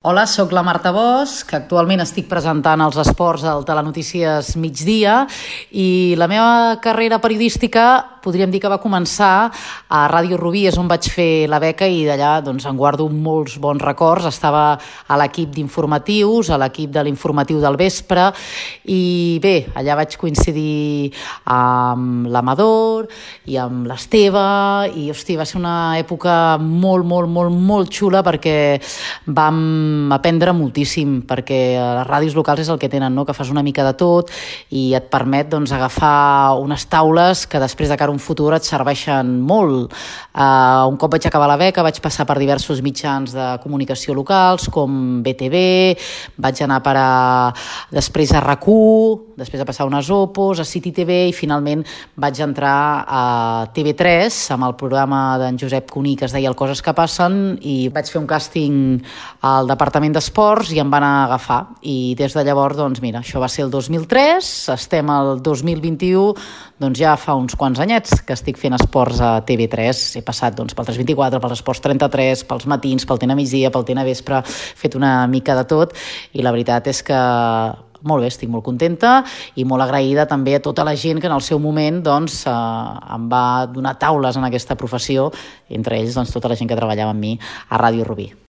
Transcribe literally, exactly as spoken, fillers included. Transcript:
Hola, sóc la Marta Bosch, que actualment estic presentant els esports al Telenotícies Migdia i la meva carrera periodística podríem dir que va començar a Ràdio Rubí, és on vaig fer la beca i d'allà doncs, en guardo molts bons records. Estava a l'equip d'informatius, a l'equip de l'informatiu del vespre i bé, allà vaig coincidir amb l'Amador i amb l'Esteve i hosti, va ser una època molt, molt, molt, molt xula perquè vam aprendre moltíssim, perquè a les ràdios locals és el que tenen, no? Que fas una mica de tot i et permet doncs, agafar unes taules que després de cara a un futur et serveixen molt. Uh, un cop vaig acabar la beca vaig passar per diversos mitjans de comunicació locals com B T V, vaig anar per a, després a R A C u, després de passar unes Opos, a City T V i finalment vaig entrar a T V tres amb el programa d'en Josep Cuní que es deia El Coses que passen i vaig fer un càsting al Departament d'Esports i em van agafar i des de llavors, doncs mira, això va ser el dos mil tres, estem al dos mil vint-i-u, doncs ja fa uns quants anyets que estic fent esports a T V tres, he passat doncs, pel tres vint-i-quatre, pels esports trenta-tres, pels matins, pel T N migdia, pel T N vespre, he fet una mica de tot i la veritat és que molt bé, estic molt contenta i molt agraïda també a tota la gent que en el seu moment doncs, eh, em va donar taules en aquesta professió, entre ells doncs, tota la gent que treballava amb mi a Ràdio Rubí.